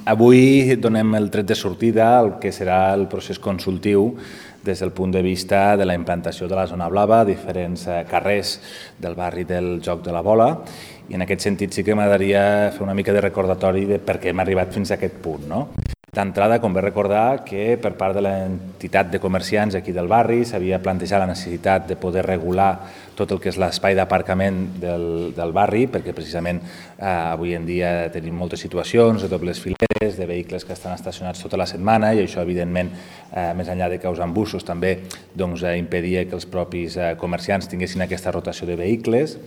Avui donem el tret de sortida al que serà el procés consultiu des del punt de vista de la implantació de la zona blava a diferents carrers del barri del Joc de la Bola, i en aquest sentit sí que m'agradaria fer una mica de recordatori de per què hem arribat fins a aquest punt, no? D'entrada, convé recordar que per part de l'entitat de comerciants aquí del barri s'havia plantejat la necessitat de poder regular tot el que és l'espai d'aparcament del barri, perquè precisament avui en dia tenim moltes situacions de dobles fileres, de vehicles que estan estacionats tota la setmana, i això, evidentment, més enllà de causar embussos, també impedia que els propis comerciants tinguessin aquesta rotació de vehicles.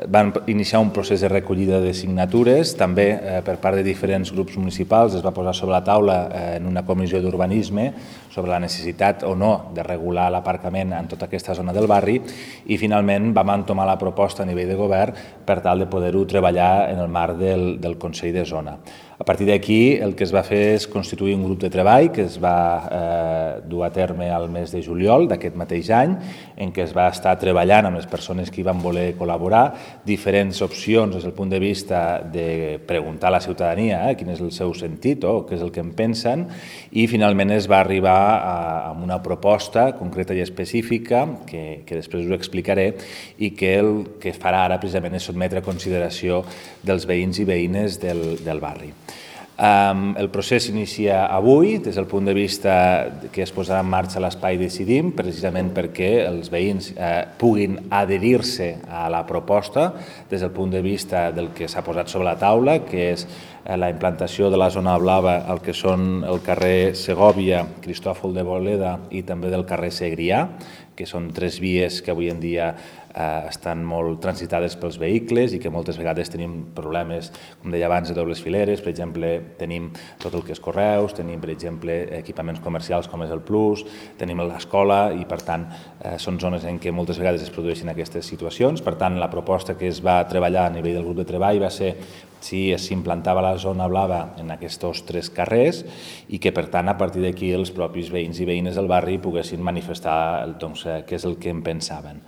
Van iniciar un procés de recollida de signatures, també per part de diferents grups municipals es va posar sobre la taula en una comissió d'urbanisme sobre la necessitat o no de regular l'aparcament en tota aquesta zona del barri, i finalment vam entomar la proposta a nivell de govern per tal de poder-ho treballar en el marc del Consell de Zona. A partir d'aquí el que es va fer és constituir un grup de treball que es va dur a terme al mes de juliol d'aquest mateix any, en què es va estar treballant amb les persones que hi van voler col·laborar, diferents opcions des del punt de vista de preguntar a la ciutadania quin és el seu sentit o què és el que en pensen, i finalment es va arribar a una proposta concreta i específica que després us explicaré, i que el que farà ara precisament és sotmetre a consideració dels veïns i veïnes del barri. El procés s'inicia avui des del punt de vista que es posarà en marxa l'espai Decidim, precisament perquè els veïns puguin adherir-se a la proposta des del punt de vista del que s'ha posat sobre la taula, que és la implantació de la zona blava al que són el carrer Segòvia, Cristòfol de Boleda i també del carrer Segrià, que són tres vies que avui en dia estan molt transitades pels vehicles i que moltes vegades tenim problemes, com deia abans, de dobles fileres. Per exemple, tenim tot el que és correus, tenim, per exemple, equipaments comercials com és el Plus, tenim l'escola, i per tant són zones en què moltes vegades es produeixen aquestes situacions. Per tant, la proposta que es va treballar a nivell del grup de treball va ser si s'implantava la zona blava en aquests tres carrers, i que per tant a partir d'aquí els propis veïns i veïnes del barri poguessin manifestar què és el que en pensaven.